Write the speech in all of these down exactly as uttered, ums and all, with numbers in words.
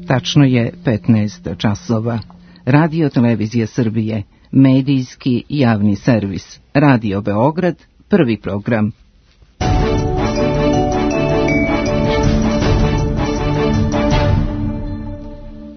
Tačno je petnaest časova. Radio Televizija Srbije, medijski javni servis. Radio Beograd, prvi program.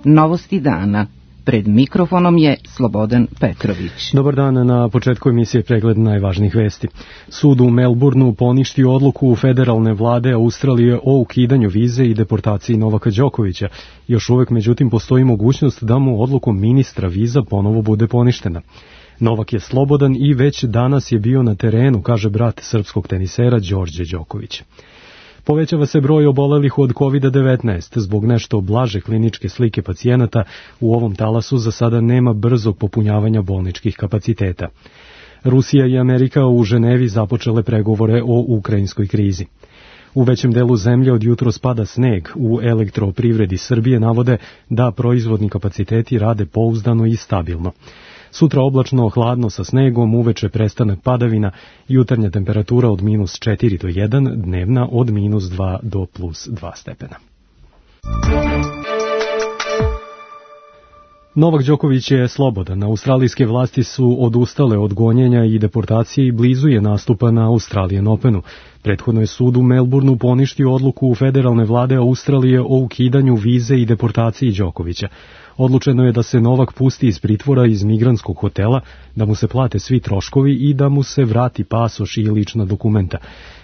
Novosti dana. Pred mikrofonom je Slobodan Petrović. Dobar dan, na početku emisije pregled najvažnijih vesti. Sud u Melbourneu poništio odluku federalne vlade Australije o ukidanju vize i deportaciji Novaka Đokovića. Još uvek, međutim, postoji mogućnost da mu odlukom ministra viza ponovo bude poništena. Novak je slobodan i već danas je bio na terenu, kaže brat srpskog tenisera Đorđe Đoković. Povećava se broj obolelih od kovid devetnaest. Zbog nešto blaže kliničke slike pacijenata u ovom talasu za sada nema brzog popunjavanja bolničkih kapaciteta. Rusija i Amerika u Ženevi započele pregovore o ukrajinskoj krizi. U većem delu zemlje od jutros pada sneg. U Elektroprivredi Srbije navode da proizvodni kapaciteti rade pouzdano i stabilno. Sutra oblačno, hladno sa snegom, uveče prestanak padavina, jutarnja temperatura od minus četiri do jedan, dnevna od minus dva do plus dva stepena. Novak Đoković je slobodan. Australijske vlasti su odustale od gonjenja i deportacije i blizu je nastupa na Australian Openu. Prethodno je sud u Melbourneu poništio odluku federalne vlade Australije o ukidanju vize i deportaciji Đokovića. Odlučeno je da se Novak pusti iz pritvora iz migrantskog hotela, da mu se plate svi troškovi i da mu se vrati pasoš i lična dokumenta.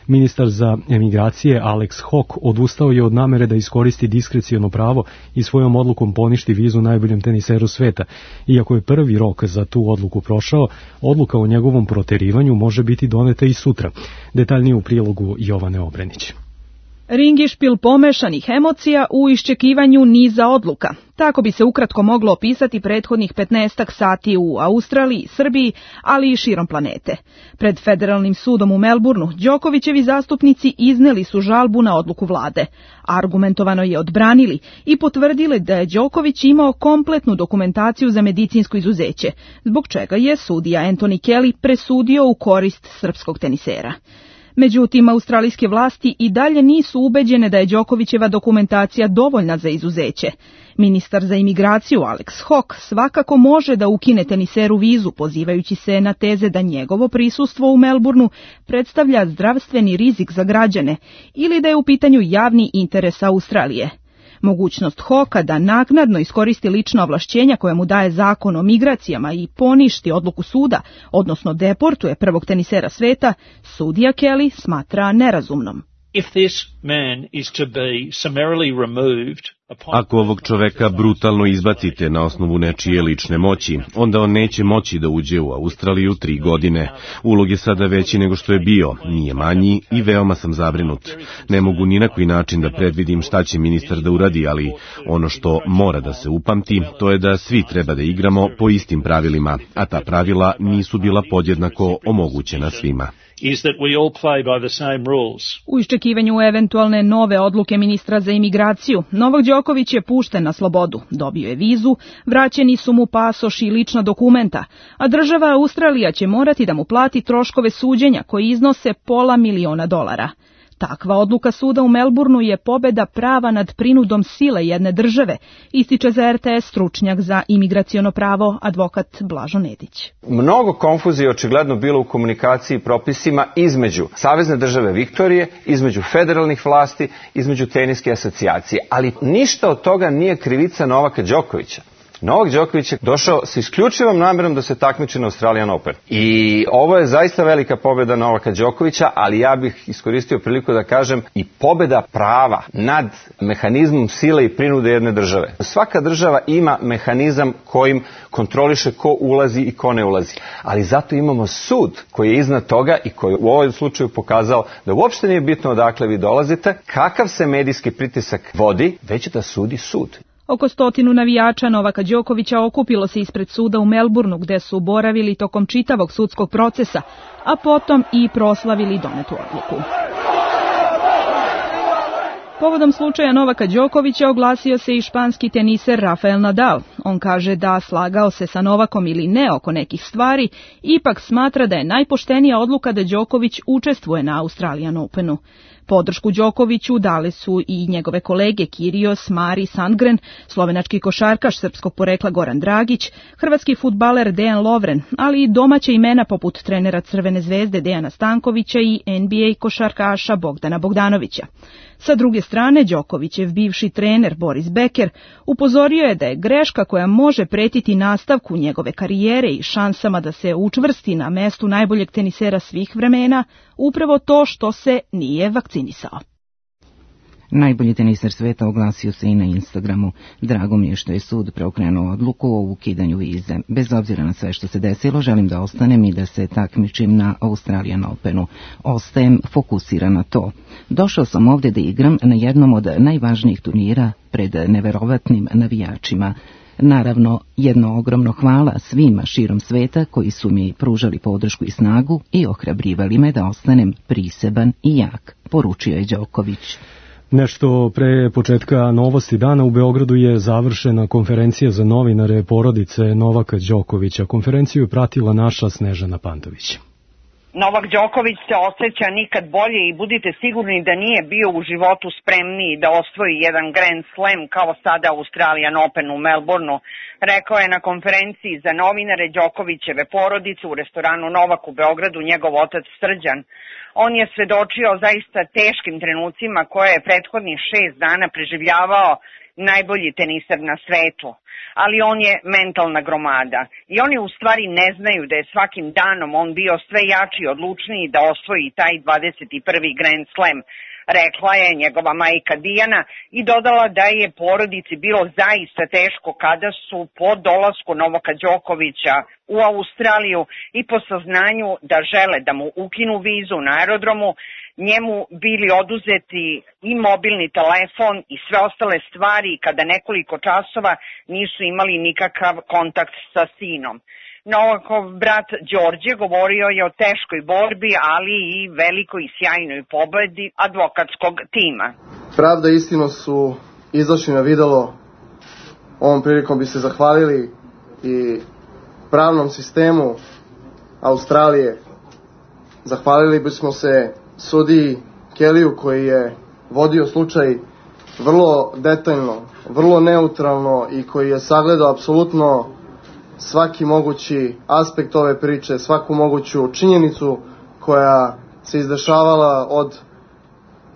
Ministar za emigracije Alex Hawke odustao je od namere da iskoristi diskreciono pravo i svojom odlukom poništi vizu najboljem teniseru sveta. Iako je prvi rok za tu odluku prošao, odluka o njegovom proterivanju može biti doneta i sutra. Detaljnije u prilogu Jovane Obrenić. Ringišpil pomešanih emocija u iščekivanju niza odluka. Tako bi se ukratko moglo opisati prethodnih petnaestak sati u Australiji, Srbiji, ali i širom planete. Pred federalnim sudom u Melbourneu Đokovićevi zastupnici izneli su žalbu na odluku vlade. Argumentovano je odbranili i potvrdili da je Đoković imao kompletnu dokumentaciju za medicinsko izuzeće, zbog čega je sudija Anthony Kelly presudio u korist srpskog tenisera. Međutim, australijske vlasti i dalje nisu ubeđene da je Đokovićeva dokumentacija dovoljna za izuzeće. Ministar za imigraciju Alex Hawke svakako može da ukine teniseru vizu, pozivajući se na teze da njegovo prisustvo u Melbourneu predstavlja zdravstveni rizik za građane ili da je u pitanju javni interes Australije. Mogućnost Hawka da naknadno iskoristi lična ovlašćenja koje mu daje zakon o migracijama i poništi odluku suda, odnosno deportuje prvog tenisera sveta, sudija Kelly smatra nerazumnom. If this man is to be summarily removed Ako ovog čoveka brutalno izbacite na osnovu nečije lične moći, onda on neće moći da uđe u Australiju tri godine. Ulog je sada veći nego što je bio, nije manji i veoma sam zabrinut. Ne mogu ni na koji način da predvidim šta će ministar da uradi, ali ono što mora da se upamti, to je da svi treba da igramo po istim pravilima, a ta pravila nisu bila podjednako omogućena svima. Is that we all play by the same rules. U iščekivanju eventualne nove odluke ministra za imigraciju, Novak Đoković je pušten na slobodu, dobio je vizu, vraćeni su mu pasoš i lična dokumenta, a država Australija će morati da mu plati troškove suđenja koji iznose pola miliona dolara. Takva odluka suda u Melbourneu je pobeda prava nad prinudom sile jedne države, ističe za R T S stručnjak za imigraciono pravo advokat Blažo Nedić. Mnogo konfuzije očigledno bilo u komunikaciji i propisima između Savezne države Viktorije, između federalnih vlasti, između teniske asocijacije, ali ništa od toga nije krivica Novaka Đokovića. Novak Đoković je došao s isključivom namerom da se takmiči na Australian Open. I ovo je zaista velika pobjeda Novaka Đokovića, ali ja bih iskoristio priliku da kažem i pobjeda prava nad mehanizmom sile i prinude jedne države. Svaka država ima mehanizam kojim kontroliše ko ulazi i ko ne ulazi. Ali zato imamo sud koji je iznad toga i koji u ovom slučaju pokazao da uopšte nije bitno odakle vi dolazite, kakav se medijski pritisak vodi, već da sudi sud. Oko stotinu navijača Novaka Đokovića okupilo se ispred suda u Melbourneu, gde su boravili tokom čitavog sudskog procesa, a potom i proslavili donetu odluku. Povodom slučaja Novaka Đokovića oglasio se i španski teniser Rafael Nadal. On kaže da slagao se sa Novakom ili ne oko nekih stvari, ipak smatra da je najpoštenija odluka da Đoković učestvuje na Australian Openu. Podršku Đokoviću dali su i njegove kolege Kyrgios, Mari Sandgren, slovenački košarkaš srpskog porekla Goran Dragić, hrvatski fudbaler Dejan Lovren, ali i domaća imena poput trenera Crvene zvezde Dejana Stankovića i N B A košarkaša Bogdana Bogdanovića. Sa druge strane, Đokovićev bivši trener Boris Becker upozorio je da je greška koja može pretiti nastavku njegove karijere i šansama da se učvrsti na mestu najboljeg tenisera svih vremena upravo to što se nije vakcinisao. Najbolji teniser sveta oglasio se i na Instagramu. Drago mi je što je sud preokrenuo odluku o ukidanju vize. Bez obzira na sve što se desilo, želim da ostanem i da se takmičim na Australian Openu. Ostajem fokusiran na to. Došao sam ovdje da igram na jednom od najvažnijih turnira pred neverovatnim navijačima. Naravno, jedno ogromno hvala svima širom sveta koji su mi pružali podršku i snagu i ohrabrivali me da ostanem priseban i jak, poručio je Đoković. Nešto pre početka novosti dana u Beogradu je završena konferencija za novinare porodice Novaka Đokovića. Konferenciju je pratila naša Snežana Pantović. Novak Đoković se osjeća nikad bolje i budite sigurni da nije bio u životu spremniji da osvoji jedan Grand Slam kao sada Australian Open u Melbourneu, rekao je na konferenciji za novinare Đokovićeve porodice u restoranu Novak u Beogradu njegov otac Srđan. On je svedočio zaista teškim trenucima koje je prethodnih šest dana preživljavao najbolji teniser na svetu, ali on je mentalna gromada i oni u stvari ne znaju da je svakim danom on bio sve jači i odlučniji da osvoji taj dvadeset prvi Grand Slam, rekla je njegova majka Dijana i dodala da je porodici bilo zaista teško kada su po dolasku Novaka Đokovića u Australiju i po saznanju da žele da mu ukinu vizu na aerodromu, njemu bili oduzeti i mobilni telefon i sve ostale stvari kada nekoliko časova nisu imali nikakav kontakt sa sinom. Novakov brat Đorđe govorio je o teškoj borbi, ali i velikoj i sjajnoj pobedi advokatskog tima. Pravda i istinu su izašli na videlo. Ovom prilikom bi se zahvalili i pravnom sistemu Australije. Zahvalili bismo se sudiji Kellyu koji je vodio slučaj vrlo detaljno, vrlo neutralno i koji je sagledao apsolutno svaki mogući aspekt ove priče, svaku moguću činjenicu koja se izdešavala od,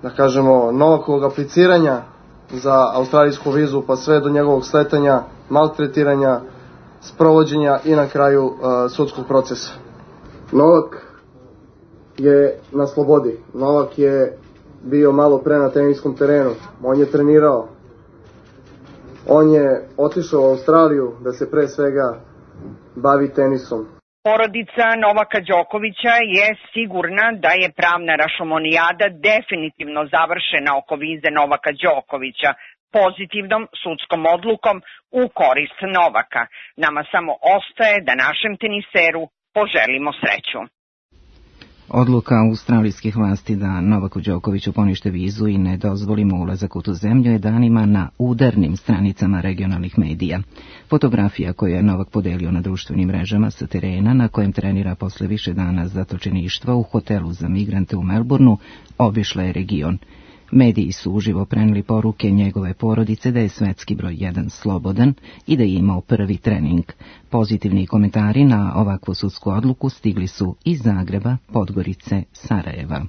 da kažemo, Novakovog apliciranja za australijsku vizu pa sve do njegovog sletanja, maltretiranja, sprovođenja i na kraju uh, sudskog procesa. Novak je na slobodi. Novak je bio malo pre na teniskom terenu. On je trenirao. On je otišao u Australiju da se pre svega bavi tenisom. Porodica Novaka Đokovića je sigurna da je pravna rašomonijada definitivno završena oko vize Novaka Đokovića pozitivnom sudskom odlukom u korist Novaka. Nama samo ostaje da našem teniseru poželimo sreću. Odluka australijskih vlasti da Novaku Đokoviću ponište vizu i ne dozvolimo ulazak u tu zemlju je danima na udarnim stranicama regionalnih medija. Fotografija koju je Novak podelio na društvenim mrežama sa terena na kojem trenira posle više dana zatočeništva u hotelu za migrante u Melbourneu obišla je region. Mediji su uživo preneli poruke njegove porodice da je svetski broj jedan slobodan i da je imao prvi trening. Pozitivni komentari na ovakvu sudsku odluku stigli su iz Zagreba, Podgorice, Sarajeva.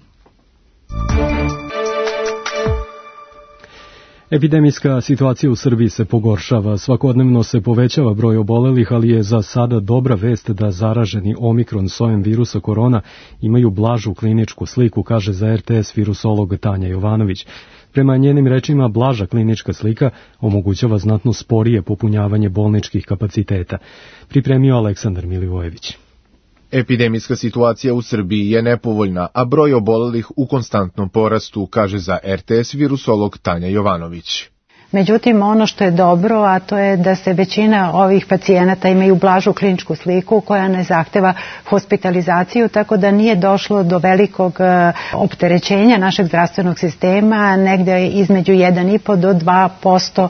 Epidemijska situacija u Srbiji se pogoršava. Svakodnevno se povećava broj obolelih, ali je za sada dobra vest da zaraženi omikron sojem virusa korona imaju blažu kliničku sliku, kaže za R T S virusolog Tanja Jovanović. Prema njenim rečima, blaža klinička slika omogućava znatno sporije popunjavanje bolničkih kapaciteta. Pripremio Aleksandar Milivojević. Epidemijska situacija u Srbiji je nepovoljna, a broj obolelih u konstantnom porastu, kaže za R T S virusolog Tanja Jovanović. Međutim, ono što je dobro, a to je da se većina ovih pacijenata imaju blažu kliničku sliku koja ne zahteva hospitalizaciju, tako da nije došlo do velikog opterećenja našeg zdravstvenog sistema. Negde između jedan i po do dva posto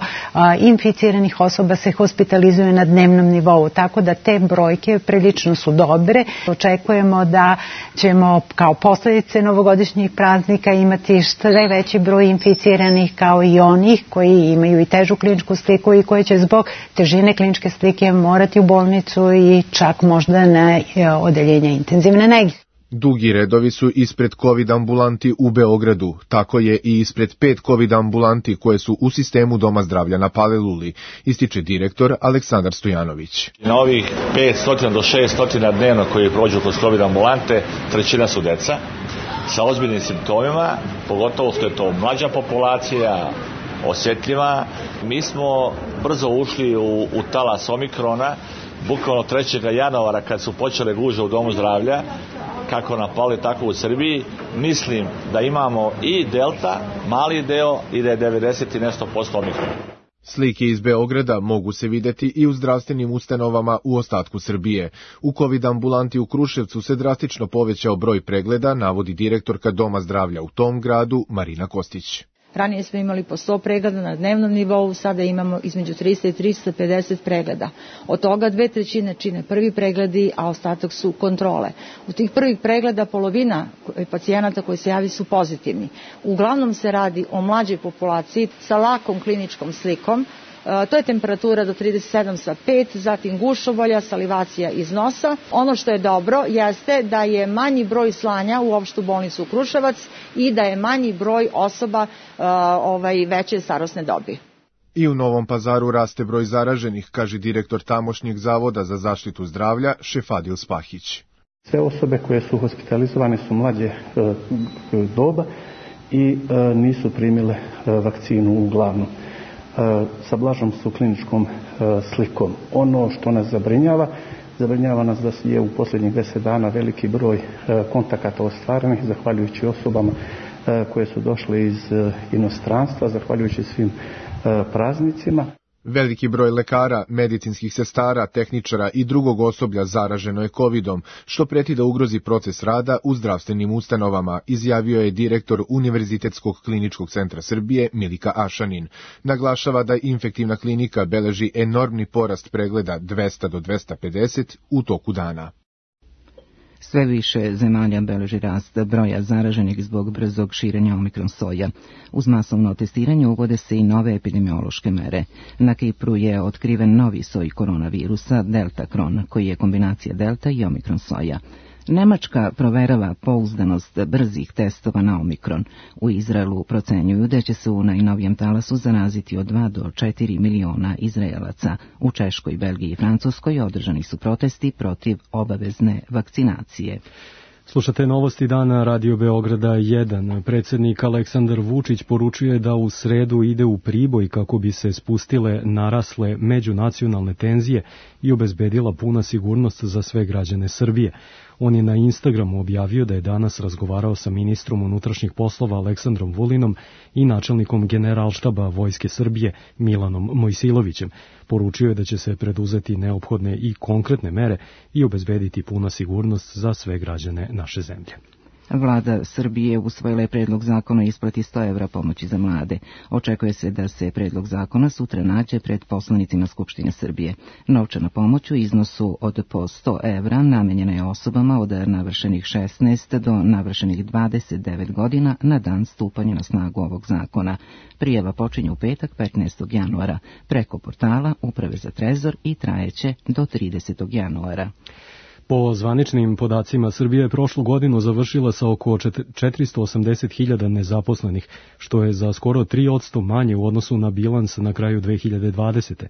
inficiranih osoba se hospitalizuje na dnevnom nivou, tako da te brojke prilično su dobre. Očekujemo da ćemo kao posljedice novogodišnjih praznika imati sve veći broj inficiranih, kao i onih koji imaju i težu kliničku sliku i koji će zbog težine kliničke slike morati u bolnicu i čak možda na odeljenje intenzivne nege. Dugi redovi su ispred COVID ambulanti u Beogradu, tako je i ispred pet COVID ambulanti koje su u sistemu Doma zdravlja na Paliluli, ističe direktor Aleksandar Stojanović. Na ovih petsto do šesto dnevno koji prođu kroz COVID ambulante, trećina su deca sa ozbiljnim simptomima, pogotovo što je to mlađa populacija, osjetljiva. Mi smo brzo ušli u, u talas omikrona, bukvalno trećeg januara kad su počele gužve u Domu zdravlja, kako na Pali, tako u Srbiji. Mislim da imamo i delta, mali deo, i da je devedeset i nešto posto omikrona. Slike iz Beograda mogu se videti i u zdravstvenim ustanovama u ostatku Srbije. U COVID ambulanti u Kruševcu se drastično povećao broj pregleda, navodi direktorka Doma zdravlja u tom gradu Marina Kostić. Ranije smo imali po sto pregleda na dnevnom nivou, sada imamo između trista i trista pedeset pregleda. Od toga dve trećine čine prvi pregledi, a ostatak su kontrole. U tih prvih pregleda polovina pacijenata koji se javi su pozitivni. Uglavnom se radi o mlađoj populaciji sa lakom kliničkom slikom. To je temperatura do trideset sedam sa pet, zatim gušobolja, salivacija iz nosa. Ono što je dobro jeste da je manji broj slanja u opštu bolnicu Kruševac i da je manji broj osoba uh, ovaj, veće starosne dobi. I u Novom Pazaru raste broj zaraženih, kaže direktor tamošnjeg zavoda za zaštitu zdravlja Šefadil Spahić. Sve osobe koje su hospitalizovane su mlađe uh, doba i uh, nisu primile uh, vakcinu uglavnom. Sa blažom su kliničkom slikom. Ono što nas zabrinjava, zabrinjava nas da je u posljednjih deset dana veliki broj kontakata ostvarenih, zahvaljujući osobama koje su došle iz inostranstva, zahvaljujući svim praznicima. Veliki broj lekara, medicinskih sestara, tehničara i drugog osoblja zaraženo je kovidom, što preti da ugrozi proces rada u zdravstvenim ustanovama, izjavio je direktor Univerzitetskog kliničkog centra Srbije Milika Ašanin. Naglašava da infektivna klinika beleži enormni porast pregleda dvesta do dvesta pedeset u toku dana. Sve više zemalja beleži rast broja zaraženih zbog brzog širenja omikron soja. Uz masovno testiranje uvode se i nove epidemiološke mere. Na Kipru je otkriven novi soj koronavirusa, delta kron, koji je kombinacija delta i omikron soja. Nemačka proverava pouzdanost brzih testova na omikron. U Izraelu procenjuju da će se u najnovijem talasu zaraziti od dva do četiri miliona Izraelaca. U Češkoj, Belgiji i Francuskoj održani su protesti protiv obavezne vakcinacije. Slušate novosti dana Radio Beograda jedan. Predsjednik Aleksandar Vučić poručuje da u sredu ide u Priboj kako bi se spustile narasle međunacionalne tenzije i obezbedila puna sigurnost za sve građane Srbije. On je na Instagramu objavio da je danas razgovarao sa ministrom unutrašnjih poslova Aleksandrom Vulinom i načelnikom Generalštaba Vojske Srbije Milanom Mojsilovićem. Poručio je da će se preduzeti neophodne i konkretne mere i obezbediti puna sigurnost za sve građane naše zemlje. Vlada Srbije usvojila je predlog zakona o isplati sto evra pomoći za mlade. Očekuje se da se predlog zakona sutra nađe pred poslanicima Skupštine Srbije. Novčana pomoć u iznosu od po sto evra namenjena je osobama od navršenih šesnaest do navršenih dvadeset devet godina na dan stupanja na snagu ovog zakona. Prijava počinje u petak petnaestog januara preko portala Uprave za trezor i trajeće do tridesetog januara. Po zvaničnim podacima, Srbija je prošlu godinu završila sa oko četiristo osamdeset hiljada nezaposlenih, što je za skoro tri posto manje u odnosu na bilans na kraju dve hiljade dvadesete.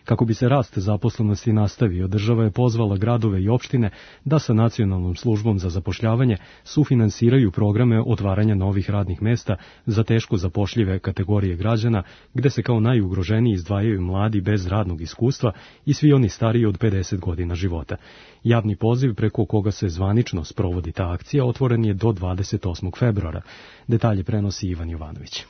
Kako bi se rast zaposlenosti nastavio, država je pozvala gradove i opštine da sa Nacionalnom službom za zapošljavanje sufinansiraju programe otvaranja novih radnih mesta za teško zapošljive kategorije građana, gde se kao najugroženiji izdvajaju mladi bez radnog iskustva i svi oni stariji od pedeset godina života. Javni poziv preko koga se zvanično sprovodi ta akcija otvoren je do dvadeset osmog februara. Detalje prenosi Ivan Jovanović.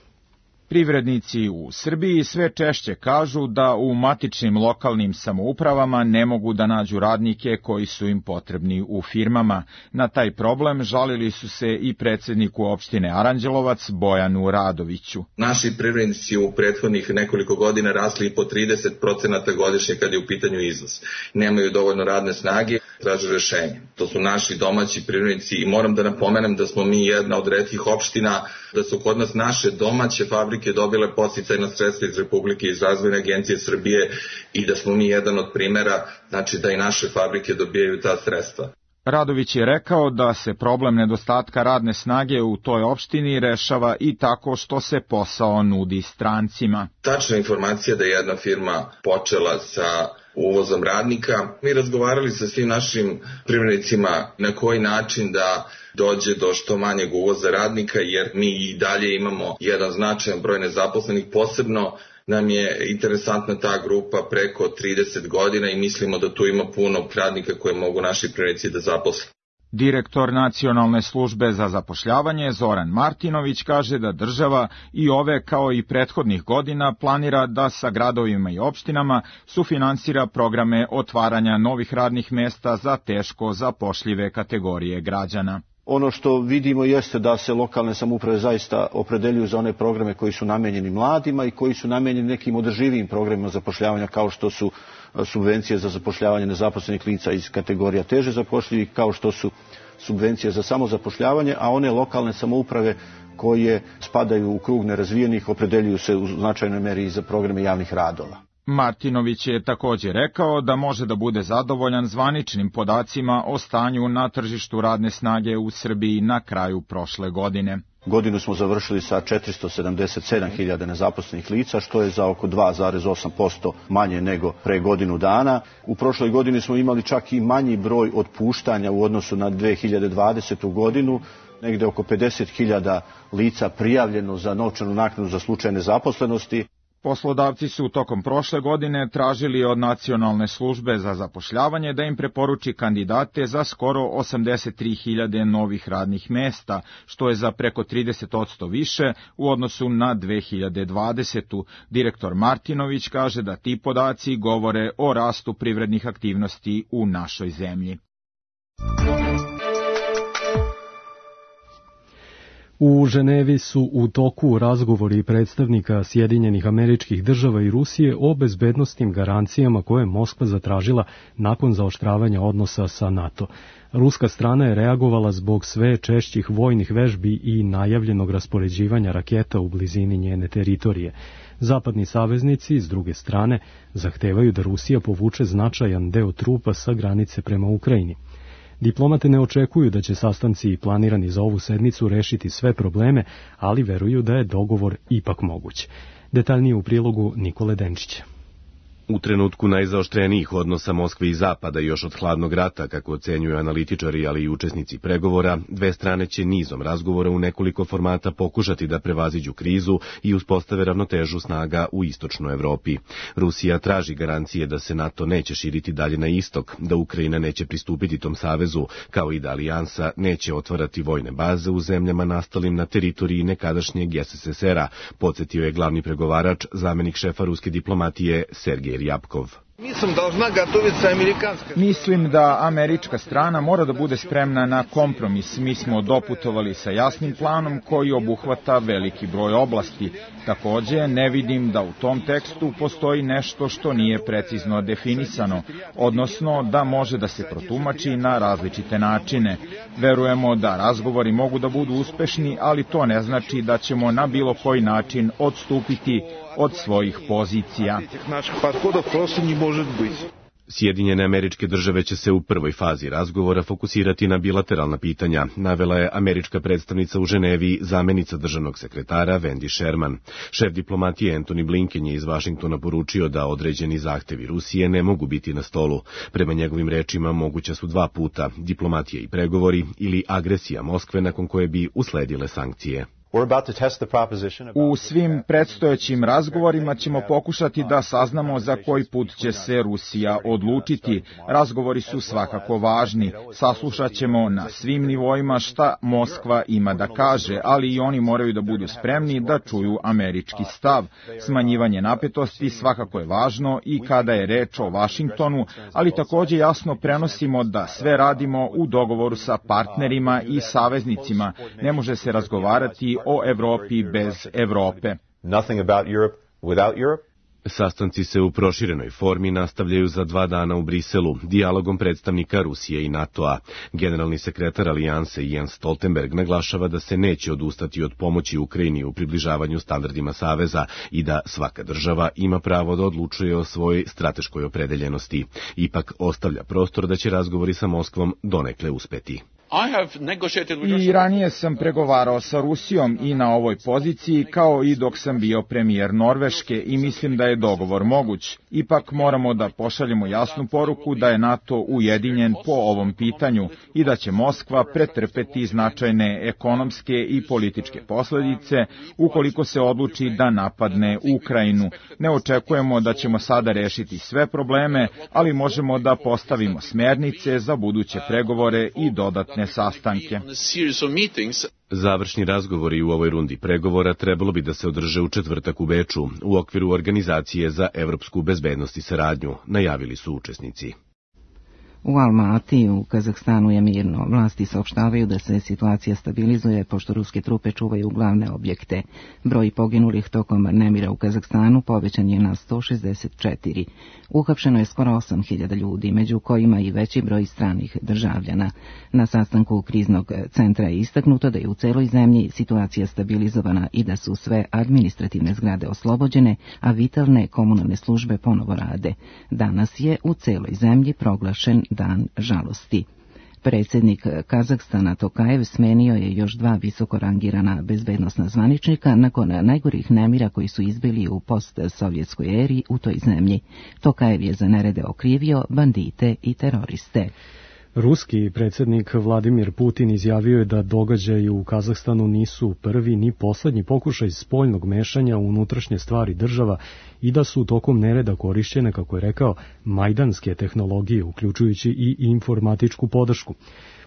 Privrednici u Srbiji sve češće kažu da u matičnim lokalnim samoupravama ne mogu da nađu radnike koji su im potrebni u firmama. Na taj problem žalili su se i predsedniku opštine Aranđelovac Bojanu Radoviću. Naši privrednici u prethodnih nekoliko godina rasli i po trideset procenata godišnje kad je u pitanju izvoz. Nemaju dovoljno radne snage, traže rešenje. To su naši domaći privrednici i moram da napomenem da smo mi jedna od retkih opština, da su kod nas naše domaće fabrike dobile podsticajna sredstva iz Republike, iz Razvojne agencije Srbije i da smo mi jedan od primera, znači da i naše fabrike dobijaju ta sredstva. Radović je rekao da se problem nedostatka radne snage u toj opštini rešava i tako što se posao nudi strancima. Tačna informacija da je jedna firma počela sa uvozom radnika. Mi razgovarali sa svim našim privrednicima na koji način da dođe do što manjeg uvoza radnika, jer mi i dalje imamo jedan značajan broj nezaposlenih, posebno nam je interesantna ta grupa preko trideset godina i mislimo da tu ima puno radnika koje mogu naši privrednici da zaposle. Direktor Nacionalne službe za zapošljavanje Zoran Martinović kaže da država i ove kao i prethodnih godina planira da sa gradovima i opštinama sufinansira programe otvaranja novih radnih mesta za teško zapošljive kategorije građana. Ono što vidimo jeste da se lokalne samouprave zaista opredeljuju za one programe koji su namenjeni mladima i koji su namenjeni nekim održivijim programima zapošljavanja kao što su subvencije za zapošljavanje nezaposlenih lica iz kategorija teže zapošljivih, kao što su subvencije za samozapošljavanje, a one lokalne samouprave koje spadaju u krug nerazvijenih opredeljuju se u značajnoj meri za programe javnih radova. Martinović je također rekao da može da bude zadovoljan zvaničnim podacima o stanju na tržištu radne snage u Srbiji na kraju prošle godine. Godinu smo završili sa četiristo sedamdeset sedam hiljada nezaposlenih lica, što je za oko dva zarez osam posto manje nego pre godinu dana. U prošloj godini smo imali čak i manji broj otpuštanja u odnosu na dve hiljade dvadesetu godinu, negde oko pedeset hiljada lica prijavljeno za novčanu naknadu za slučaj nezaposlenosti. Poslodavci su tokom prošle godine tražili od Nacionalne službe za zapošljavanje da im preporuči kandidate za skoro osamdeset tri hiljade novih radnih mesta, što je za preko trideset posto više u odnosu na dve hiljade dvadesetu. Direktor Martinović kaže da ti podaci govore o rastu privrednih aktivnosti u našoj zemlji. U Ženevi su u toku razgovori predstavnika Sjedinjenih Američkih Država i Rusije o bezbednosnim garancijama koje je Moskva zatražila nakon zaoštravanja odnosa sa NATO. Ruska strana je reagovala zbog sve češćih vojnih vežbi i najavljenog raspoređivanja raketa u blizini njene teritorije. Zapadni saveznici, s druge strane, zahtevaju da Rusija povuče značajan deo trupa sa granice prema Ukrajini. Diplomate ne očekuju da će sastanci planirani za ovu sedmicu rešiti sve probleme, ali veruju da je dogovor ipak moguć. Detaljnije u prilogu Nikole Denčića. U trenutku najzaoštrenijih odnosa Moskve i Zapada još od hladnog rata, kako ocenjuju analitičari, ali i učesnici pregovora, dve strane će nizom razgovora u nekoliko formata pokušati da prevaziđu krizu i uspostave ravnotežu snaga u istočnoj Evropi. Rusija traži garancije da se NATO neće širiti dalje na istok, da Ukrajina neće pristupiti tom savezu, kao i da alijansa neće otvarati vojne baze u zemljama nastalim na teritoriji nekadašnjeg es es es era, podsjetio je glavni pregovarač, zamenik šefa ruske diplomatije Sergej Ryabkov. Mislim da američka strana mora da bude spremna na kompromis. Mi smo doputovali sa jasnim planom koji obuhvata veliki broj oblasti. Takođe, ne vidim da u tom tekstu postoji nešto što nije precizno definisano, odnosno da može da se protumači na različite načine. Verujemo da razgovori mogu da budu uspešni, ali to ne znači da ćemo na bilo koji način odstupiti od svojih pozicija. Sjedinjene Američke Države će se u prvoj fazi razgovora fokusirati na bilateralna pitanja, navela je američka predstavnica u Ženevi, zamenica državnog sekretara Wendy Sherman. Šef diplomatije Antony Blinken je iz Vašingtona poručio da određeni zahtevi Rusije ne mogu biti na stolu. Prema njegovim rečima moguća su dva puta, diplomatija i pregovori ili agresija Moskve nakon koje bi usledile sankcije. U svim predstojećim razgovorima ćemo pokušati da saznamo za koji put će se Rusija odlučiti. Razgovori su svakako važni. Saslušat ćemo na svim nivoima šta Moskva ima da kaže, ali i oni moraju da budu spremni da čuju američki stav. Smanjivanje napetosti svakako je važno i kada je reč o Vašingtonu, ali takođe jasno prenosimo da sve radimo u dogovoru sa partnerima i saveznicima. Ne može se razgovarati o Evropi bez Evrope. Sastanci se u proširenoj formi nastavljaju za dva dana u Briselu, dijalogom predstavnika Rusije i NATO-a. Generalni sekretar Alijanse Jens Stoltenberg naglašava da se neće odustati od pomoći Ukrajini u približavanju standardima Saveza i da svaka država ima pravo da odlučuje o svojoj strateškoj opredeljenosti. Ipak ostavlja prostor da će razgovori sa Moskvom donekle uspeti. I ranije sam pregovarao sa Rusijom i na ovoj poziciji, kao i dok sam bio premijer Norveške, i mislim da je dogovor moguć. Ipak moramo da pošaljemo jasnu poruku da je NATO ujedinjen po ovom pitanju i da će Moskva pretrpeti značajne ekonomske i političke posledice ukoliko se odluči da napadne Ukrajinu. Ne očekujemo da ćemo sada rešiti sve probleme, ali možemo da postavimo smernice za buduće pregovore i dodatne sastanke. Završni razgovori u ovoj rundi pregovora trebalo bi da se održe u četvrtak u Beču u okviru Organizacije za evropsku bezbednost i saradnju, najavili su učesnici. U Almaty u Kazahstanu je mirno. Vlasti saopštavaju da se situacija stabilizuje pošto ruske trupe čuvaju glavne objekte. Broj poginulih tokom nemira u Kazahstanu povećan je na sto šezdeset četiri. Uhapšeno je skoro osam hiljada ljudi, među kojima i veći broj stranih državljana. Na sastanku kriznog centra je istaknuto da je u celoj zemlji situacija stabilizovana i da su sve administrativne zgrade oslobođene, a vitalne komunalne službe ponovo rade. Danas je u celoj zemlji proglašen dan žalosti. Predsjednik Kazahstana Tokajev smenio je još dva visoko rangirana bezbednosna zvaničnika nakon najgorih nemira koji su izbili u postsovjetskoj eri u toj zemlji. Tokajev je za nerede okrivio bandite i teroriste. Ruski predsjednik Vladimir Putin izjavio je da događaji u Kazahstanu nisu prvi ni poslednji pokušaj spoljnog mešanja u unutrašnje stvari država i da su tokom nereda korišćene, kako je rekao, majdanske tehnologije, uključujući i informatičku podršku.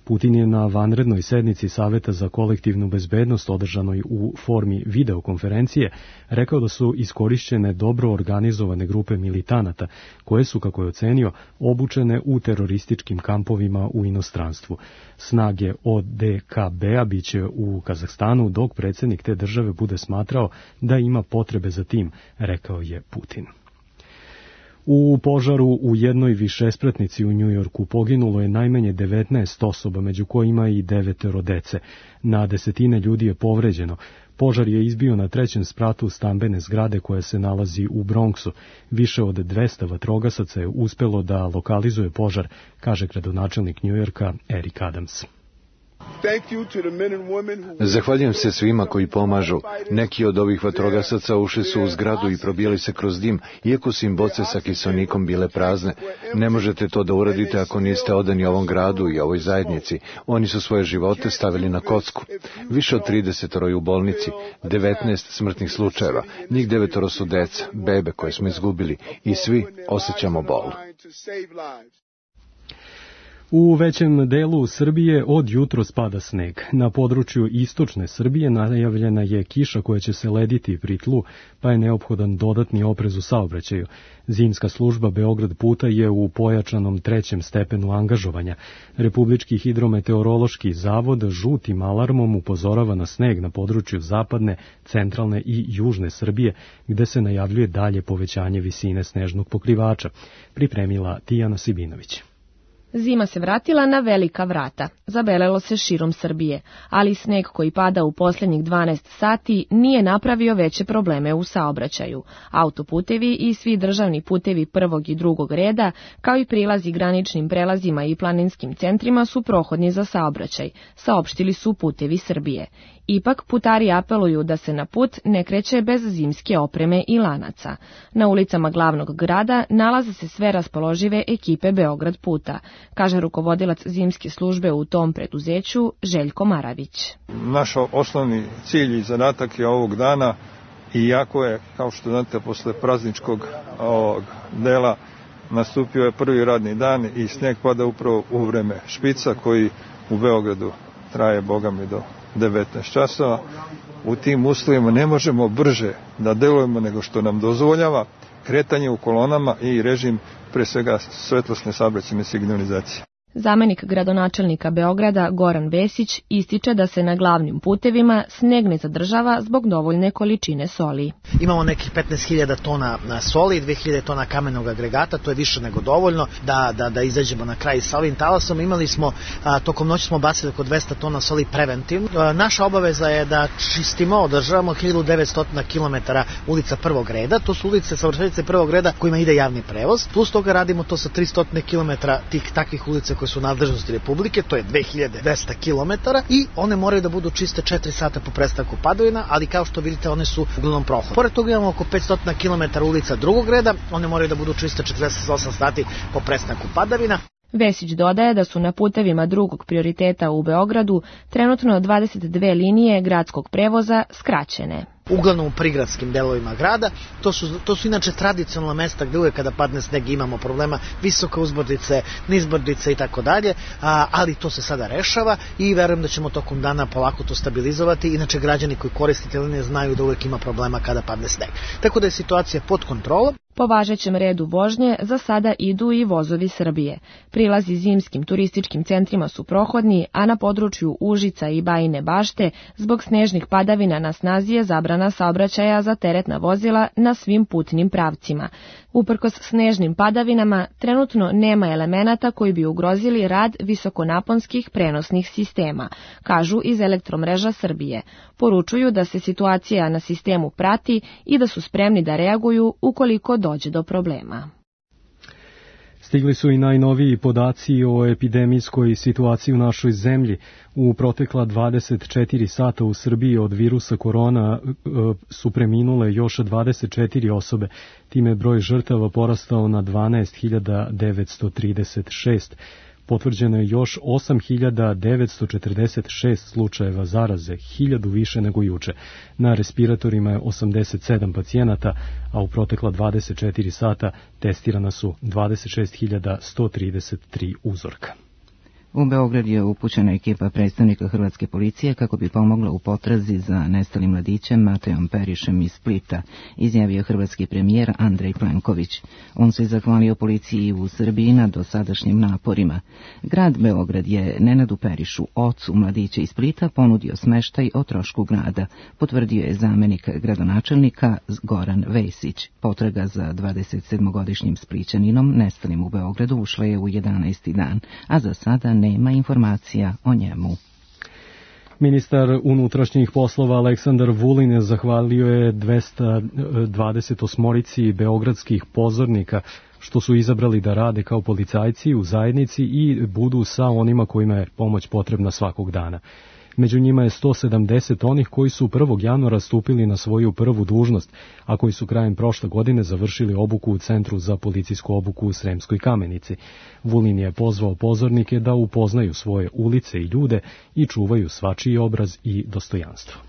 Putin je na vanrednoj sednici Saveta za kolektivnu bezbednost održanoj u formi videokonferencije rekao da su iskorišćene dobro organizovane grupe militanata koje su, kako je ocenio, obučene u terorističkim kampovima u inostranstvu. Snage O D K B-a biće u Kazahstanu dok predsjednik te države bude smatrao da ima potrebe za tim, rekao je Putin. U požaru u jednoj višespratnici u Njujorku poginulo je najmanje devetnaest osoba, među kojima i devetero dece. Na desetine ljudi je povređeno. Požar je izbio na trećem spratu stambene zgrade koja se nalazi u Bronxu. Više od dvesta vatrogasaca je uspelo da lokalizuje požar, kaže gradonačelnik Njujorka Eric Adams. Zahvaljujem se svima koji pomažu. Neki od ovih vatrogasaca ušli su u zgradu i probijali se kroz dim, iako su im boce sa kiseonikom bile prazne. Ne možete to da uradite ako niste odani ovom gradu i ovoj zajednici. Oni su svoje živote stavili na kocku. Više od tridesetoro je u bolnici, devetnaest smrtnih slučajeva. Njih devetoro su deca, bebe koje smo izgubili i svi osjećamo bol. U većem delu Srbije od jutro spada sneg. Na području istočne Srbije najavljena je kiša koja će se lediti pri tlu, pa je neophodan dodatni oprez u saobraćaju. Zimska služba Beograd puta je u pojačanom trećem stepenu angažovanja. Republički hidrometeorološki zavod žutim alarmom upozorava na sneg na području zapadne, centralne i južne Srbije, gde se najavljuje dalje povećanje visine snežnog pokrivača. Pripremila Tijana Sibinović. Zima se vratila na velika vrata. Zabelelo se širom Srbije, ali sneg koji pada u posljednjih dvanaest sati nije napravio veće probleme u saobraćaju. Autoputevi i svi državni putevi prvog i drugog reda, kao i prilazi graničnim prelazima i planinskim centrima su prohodni za saobraćaj, saopštili su Putevi Srbije. Ipak putari apeluju da se na put ne kreće bez zimske opreme i lanaca. Na ulicama glavnog grada nalaze se sve raspoložive ekipe Beograd puta, kaže rukovodilac zimske službe u tom preduzeću Željko Maravić. Naš osnovni cilj i zadatak je ovog dana, iako je, kao što znate, posle prazničkog ovog dela nastupio je prvi radni dan i sneg pada upravo u vreme špica koji u Beogradu traje, boga mi, do devetnaest časova. U tim uslovima ne možemo brže da delujemo nego što nam dozvoljava kretanje u kolonama i režim, pre svega, svetlosne saobraćajne signalizacije. Zamenik gradonačelnika Beograda Goran Vesić ističe da se na glavnim putevima sneg ne zadržava zbog dovoljne količine soli. Imamo nekih petnaest hiljada tona soli i dve hiljade tona kamenog agregata, to je više nego dovoljno da, da, da izađemo na kraj sa ovim talasom. Imali smo, a, tokom noći smo bacili oko dvesta tona soli preventivno. A, naša obaveza je da čistimo, održavamo hiljadu devetsto kilometara ulica prvog reda, to su ulice, saobraćajnice prvog reda kojima ide javni prevoz, plus toga radimo to sa tristo kilometara tih takvih ulica koje su u nadležnosti Republike, to je dve hiljade dvesta kilometara i one moraju da budu čiste četiri sata po prestanku padavina, ali kao što vidite one su uglavnom prohladne. Pored toga imamo oko petsto kilometara ulica drugog reda, one moraju da budu čiste četrdeset osam sati po prestanku padavina. Vesić dodaje da su na putevima drugog prioriteta u Beogradu trenutno dvadeset dve linije gradskog prevoza skraćene. Uglavnom u prigradskim delovima grada. To su, to su inače tradicionalna mesta gde uvek kada padne sneg imamo problema, visoke uzbrdice, nizbrdice i tako dalje, ali to se sada rešava i verujem da ćemo tokom dana polako to stabilizovati. Inače građani koji koriste te linije znaju da uvek ima problema kada padne sneg. Tako da je situacija pod kontrolom. Po važećem redu vožnje za sada idu i vozovi Srbije. Prilazi zimskim turističkim centrima su prohodni, a na području Užica i Bajine Bašte zbog snežnih padavina na snazi je zabrana saobraćaja za teretna vozila na svim putnim pravcima. Uprkos snežnim padavinama, trenutno nema elemenata koji bi ugrozili rad visokonaponskih prenosnih sistema, kažu iz Elektromreža Srbije. Poručuju da se situacija na sistemu prati i da su spremni da reaguju ukoliko dođe do problema. Stigli su i najnoviji podaci o epidemijskoj situaciji u našoj zemlji. U protekla dvadeset četiri sata u Srbiji od virusa korona su preminule još dvadeset četiri osobe. Time je broj žrtava porastao na dvanaest hiljada devetsto trideset šest. Potvrđeno je još osam hiljada devetsto četrdeset šest slučajeva zaraze, hiljadu više nego juče. Na respiratorima je osamdeset sedam pacijenata, a u protekla dvadeset četiri sata testirana su dvadeset šest hiljada sto trideset tri uzorka. U Beograd je upućena ekipa predstavnika hrvatske policije kako bi pomogla u potrazi za nestalim mladićem Matejom Perišem iz Splita, izjavio hrvatski premijer Andrej Plenković. On se zahvalio policiji u Srbiji na dosadašnjim naporima. Grad Beograd je Nenadu Perišu, ocu mladića iz Splita, ponudio smeštaj o trošku grada, potvrdio je zamenik gradonačelnika Goran Vesić. Potraga za dvadesetsedmogodišnjim Splićaninom nestalim u Beogradu ušla je u jedanaesti dan, a za sada ne nema informacija o njemu. Ministar unutrašnjih poslova Aleksandar Vulin zahvalio je dvesta dvadeset osmorici beogradskih pozornika što su izabrali da rade kao policajci u zajednici i budu sa onima kojima je pomoć potrebna svakog dana. Među njima je sto sedamdeset onih koji su prvog januara stupili na svoju prvu dužnost, a koji su krajem prošle godine završili obuku u Centru za policijsku obuku u Sremskoj Kamenici. Vulin je pozvao pozornike da upoznaju svoje ulice i ljude i čuvaju svačiji obraz i dostojanstvo.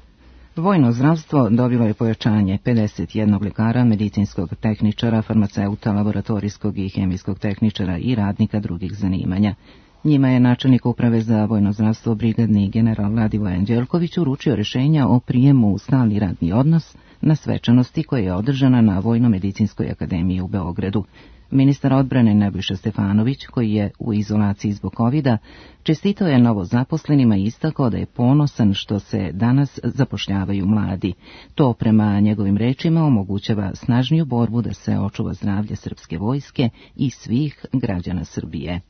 Vojno zdravstvo dobilo je pojačanje pedeset jednog lekara, medicinskog tehničara, farmaceuta, laboratorijskog i hemijskog tehničara i radnika drugih zanimanja. Njima je načelnik uprave za vojno zdravstvo brigadni general Ladivoje Anđelković uručio rješenja o prijemu u stalni radni odnos na svečanosti koja je održana na Vojno-medicinskoj akademiji u Beogradu. Ministar odbrane Nebojša Stefanović, koji je u izolaciji zbog kovida, čestitao je novozaposlenima i istakao da je ponosan što se danas zapošljavaju mladi. To prema njegovim rečima omogućava snažniju borbu da se očuva zdravlje srpske vojske i svih građana Srbije.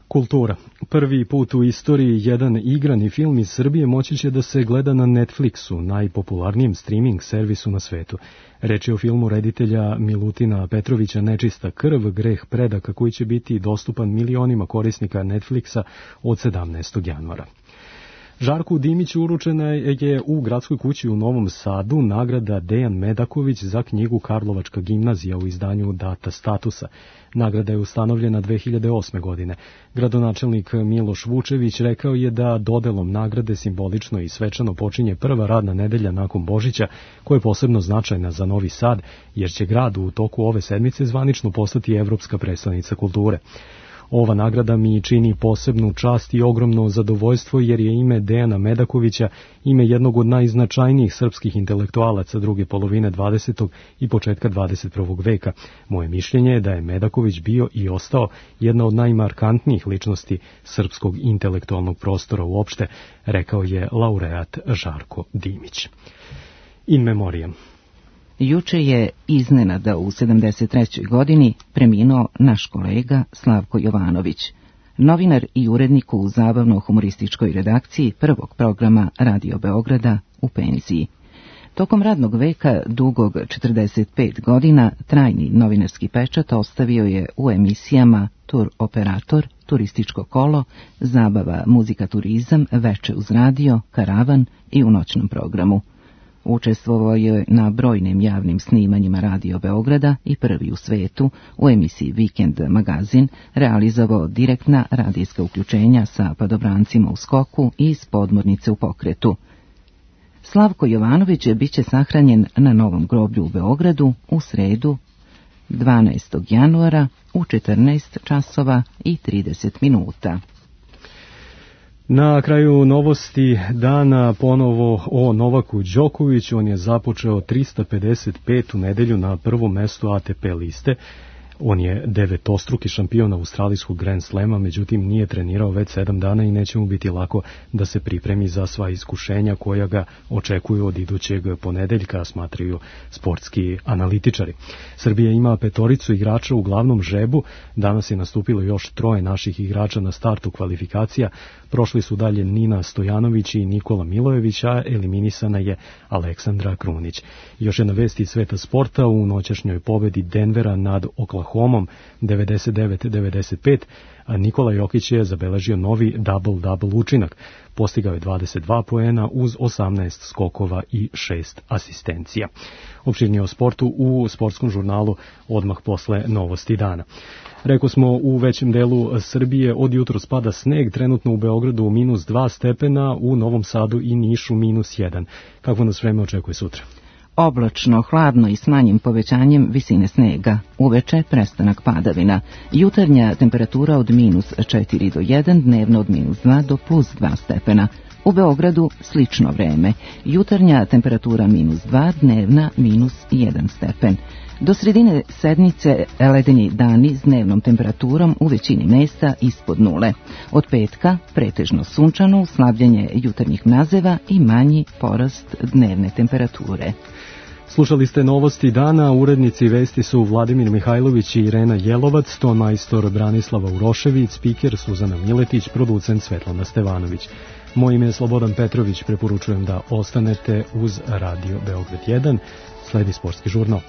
Kultura. Prvi put u istoriji jedan igrani film iz Srbije moći će da se gleda na Netflixu, najpopularnijem streaming servisu na svetu. Reč je o filmu reditelja Milutina Petrovića Nečista krv, greh predaka, koji će biti dostupan milionima korisnika Netflixa od sedamnaestog januara. Žarku Dimiću uručena je u Gradskoj kući u Novom Sadu nagrada Dejan Medaković za knjigu Karlovačka gimnazija u izdanju Data statusa. Nagrada je ustanovljena dve hiljade osme. godine. Gradonačelnik Miloš Vučević rekao je da dodelom nagrade simbolično i svečano počinje prva radna nedelja nakon Božića, koja je posebno značajna za Novi Sad, jer će grad u toku ove sedmice zvanično postati evropska prestonica kulture. Ova nagrada mi čini posebnu čast i ogromno zadovoljstvo jer je ime Dejana Medakovića ime jednog od najznačajnijih srpskih intelektualaca druge polovine dvadesetog i početka dvadeset prvog veka. Moje mišljenje je da je Medaković bio i ostao jedna od najmarkantnijih ličnosti srpskog intelektualnog prostora uopšte, rekao je laureat Žarko Dimić. In memoriam. Juče je iznenada u sedamdeset trećoj godini preminuo naš kolega Slavko Jovanović, novinar i urednik u zabavno-humorističkoj redakciji prvog programa Radio Beograda u penziji. Tokom radnog veka, dugog četrdeset pet godina, trajni novinarski pečat ostavio je u emisijama Tur operator, Turističko kolo, Zabava, muzika, turizam, Veče uz radio, Karavan i u noćnom programu. Učestvovao je na brojnim javnim snimanjima Radio Beograda i prvi u svetu u emisiji Vikend magazin, realizovao direktna radijska uključenja sa padobrancima u skoku i iz podmornice u pokretu. Slavko Jovanović bit će sahranjen na Novom groblju u Beogradu u sredu dvanaestog januara u četrnaest časova i trideset minuta. Na kraju novosti dana ponovo o Novaku Đokoviću. On je započeo trista pedeset petu nedelju na prvom mestu A T P liste. On je devetostruki šampion australijskog Grand Slema, međutim nije trenirao već sedam dana i neće mu biti lako da se pripremi za sva iskušenja koja ga očekuju od idućeg ponedeljka, smatraju sportski analitičari. Srbija ima petoricu igrača u glavnom žrebu, danas je nastupilo još troje naših igrača na startu kvalifikacija, prošli su dalje Nina Stojanović i Nikola Milojević, a eliminisana je Aleksandra Krunić. Još jedna vest iz sveta sporta, u noćašnjoj pobedi Denvera nad Oklahomom devedeset devet devedeset pet, a Nikola Jokić je zabeležio novi double-double učinak. Postigao je dvadeset dva poena uz osamnaest skokova i šest asistencija. Opširnije o sportu u sportskom žurnalu odmah posle novosti dana. Rekao smo, u većem delu Srbije od jutro spada sneg, trenutno u Beogradu minus dva stepena, u Novom Sadu i Nišu minus jedan. Kako nas vreme očekuje sutra? Oblačno, hladno i s manjim povećanjem visine snega. Uveče prestanak padavina. Jutarnja temperatura od minus četiri do jedan, dnevno od minus dva do plus dva stepena. U Beogradu slično vreme. Jutarnja temperatura minus dva, dnevna minus jedan stepen. Do sredine sedmice ledeni dani s dnevnom temperaturom u većini mesta ispod nule. Od petka pretežno sunčano, slabljenje jutarnjih mrazeva i manji porast dnevne temperature. Slušali ste novosti dana, urednici vesti su Vladimir Mihajlović i Irena Jelovac, ton majstor Branislava Urošević, spiker Suzana Miletić, producent Svetlana Stevanović. Moje ime je Slobodan Petrović, preporučujem da ostanete uz Radio Beograd jedan, sledi sportski žurnal.